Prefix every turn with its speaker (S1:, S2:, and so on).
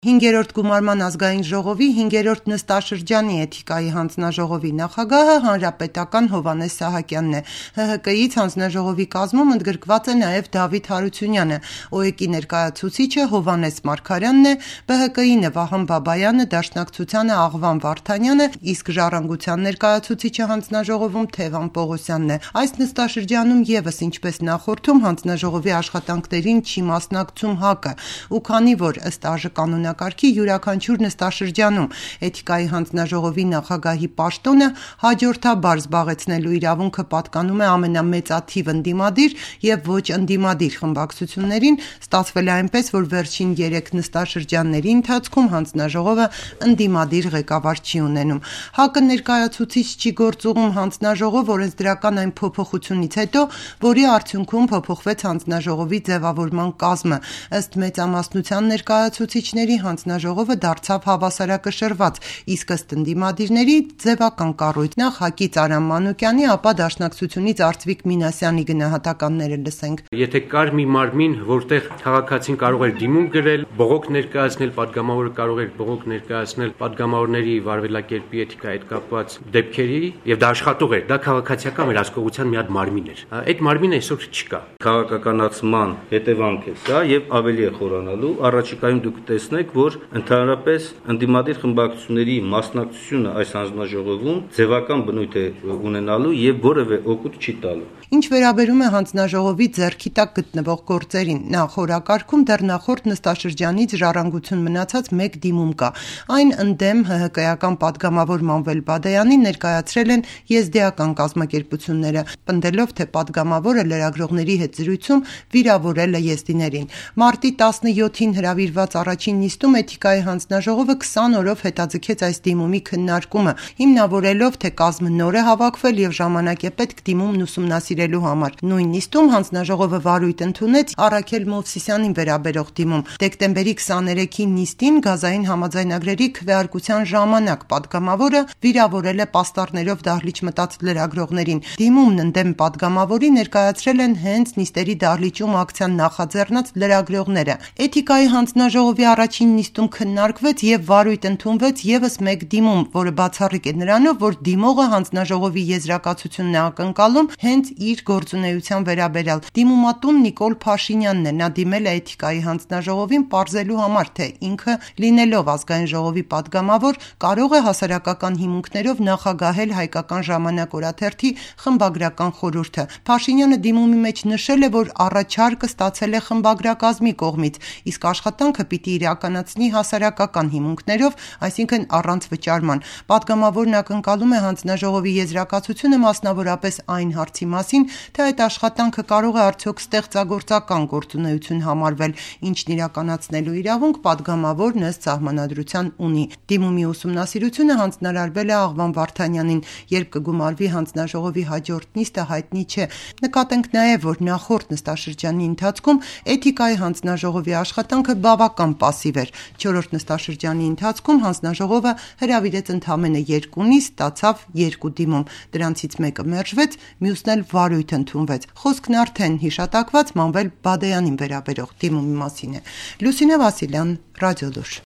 S1: 5-րդ գումարման ազգային ժողովի 5-րդ նստաշրջանի էթիկայի հանձնաժողովի նախագահը հանրապետական Հովհաննես Սահակյանն է։ ՀՀԿ-ից հանձնաժողովի կազմում ընդգրկված է նաև Դավիթ Հարությունյանը, ՕԵԿ-ի ներկայացուցիչը Հովհաննես Մարգարյանն է, ԲՀԿ-ի Նվահան Բաբայանը, Դաշնակցությանը Աղվան Վարդանյանը, իսկ Ժառանգության ներկայացուցիչը հանձնաժողովում Թևան Պողոսյանն է։ Այս նստաշրջանում ևս ինչպես նախորդում հանձնաժողովի աշխատանքներին չի մասնակցում ՀԱԿ-ը, ու քանի որ ըստ ԱԺ կանոնակարգի յուրաքանչյուր նստաշրջանում էթիկայի հանձնաժողովի նախագահի պաշտոնը հաջորդաբար զբաղեցնելու իրավունքը պատկանում է ամենամեծաթիվ ընդդիմադիր եւ ոչ ընդդիմադիր խմբակցություններին, ստացվել է այնպես, որ վերջին 3 նստաշրջանների ընթացքում հանձնաժողովը ընդդիմադիր ղեկավար չի ունենում։ ՀԱԿ-ը ներկայացուցիչ չի գործուղում հանձնաժողով օրենսդրական այն փոփոխությունից հետո, որի արդյունքում փոփոխվեց հանձնաժողովի ձևավորման կազմը։ Ըստ մեծամասնության ներկայացուցիչների հանձնաժողովը դարձավ հավասարակշռված, իսկ ըստ ընդդիմադիրների ձևական կառույց։ Նախ ՀԱԿ-ից Արամ Մանուկյանի, ապա Դաշնակցությունից Արծվիկ Մինասյանի գնահատականները լսենք։
S2: Եթե կար մի մարմին, որտեղ քաղաքացին կարող էր դիմում գրել, բողոք ներկայացնել, падգամավորը կարող էր բողոք ներկայացնել падգամավորների վարվելակերպի էթիկայի հետ կապված դեպքերի, եւ դա աշխատող էր, դա քաղաքացիական վերահսկողության մի հատ մարմին էր։ Այդ մարմինը այսօր չկա։
S3: Քաղաքականացման հետևանք է սա եւ ավելի է խորանալու։ Առաջիկայում դուք տեսնեք, որ ընդհանրապես ընդդիմադիր խմբակցությունների մասնակցությունը այս հանձնաժողովում ձևական բնույթ է ունենալու եւ որևէ օգուտ չի տալու։
S1: Ինչ վերաբերում է հանձնաժողովի ձեռքի տակ գտնվող գործերին, նախ օրակարգում դեռ նախորդ նստաշրջանից ժառանգություն մնացած 1 դիմում կա։ Այն ընդդեմ ՀՀԿ-ական падգամավոր Մանվել Բադայանին ներկայացրել են եզդիական կազմակերպությունները, պնդելով, թե падգամավորը լրագրողների հետ զրույցում վիրավորել է եզդիներին։ Մարտի 17-ին հրավիրված առաջին նիստում էթիկայի հանձնաժողովը 20 օրով հետաձգեց այս դիմումի քննարկումը, հիմնավորելով, թե կազմը նոր է հավաքվել եւ ժամանակ է պետք դիմումն ուսումնասիրելու համար։ Նույն նիստում հանձնաժողովը վարույթ ընդունեց Առաքել Մովսիսյանին վերաբերող դիմում։ Դեկտեմբերի 23-ի նիստին գազային համաձայնագրերի քվեարկության ժամանակ падգամավորը վիրավորել է պաստառներով դահլիճ մտած լրագրողներին։ Դիմումն ընդդեմ падգամավորի ներկայացրել են հենց նիստերի դահլիճում ակցիան նախաձեռնած լրագրողները։ Էթիկայի հանձնաժողովի առաջին նիստում քննարկվեց եւ վարույթ ընդունվեց եւս 1 դիմում, որը բացառիկ է նրանով, որ դիմողը հանձնաժողովի եզրակացությունն է ակնկալում հենց իր գործունեության վերաբերյալ։ Դիմումատուն Նիկոլ Փաշինյանն է, նա դիմել է էթիկայի հանձնաժողովին պարզելու համար, թե ինքը լինելով ազգային ժողովի падգամավոր կարող է հասարակական հիմունքներով նախագահել Հայկական ժամանակ օրաթերթի խմբագրական խորհուրդը։ Փաշինյանը դիմումի մեջ նշել է, որ առաջարկը ստացել է խմբագրակազմի կողմից, իսկ աշխատանքը պիտի իրականացնի հասարակական հիմունքներով, այսինքն առանց վճարման։ Падգամավորն ակնկալում է հանձնաժողովի եզրակացությունը մասնավորապես այն հարցի մասին, թե այդ աշխատանքը կարող է արդյոք ստեղծագործական գործունեություն համարվել, ինչն իրականացնելու իրավունք падգամավորն ըստ սահմանադրության ունի։ Դիմումի ուսումնասիրությունը հանձնարարվել է Աղվան Վարդանյանին, երբ կգումարվի հանձնաժողովի հաջորդ նիստը հայտնի չէ։ Նկատենք նաև, որ նախորդ նստաշրջանի ընթացքում էթիկայի հանձնաժողովի աշխատանքը բավական պասիվ էր։ 4-րդ նստաշրջանի ընթացքում հանձնաժողովը հրավիրեց ընդամենը 2 նիստ, ստացավ 2 դիմում։ Դրանցից մեկը մերժվեց, մյուսն էլ վարույթ ընդունվեց։ Խոսքն արդեն հիշատակված Մանվել Բադայանին վերաբերող դիմումի մասին է։ Լուսինե Վասիլյան, Ռադիոլուր։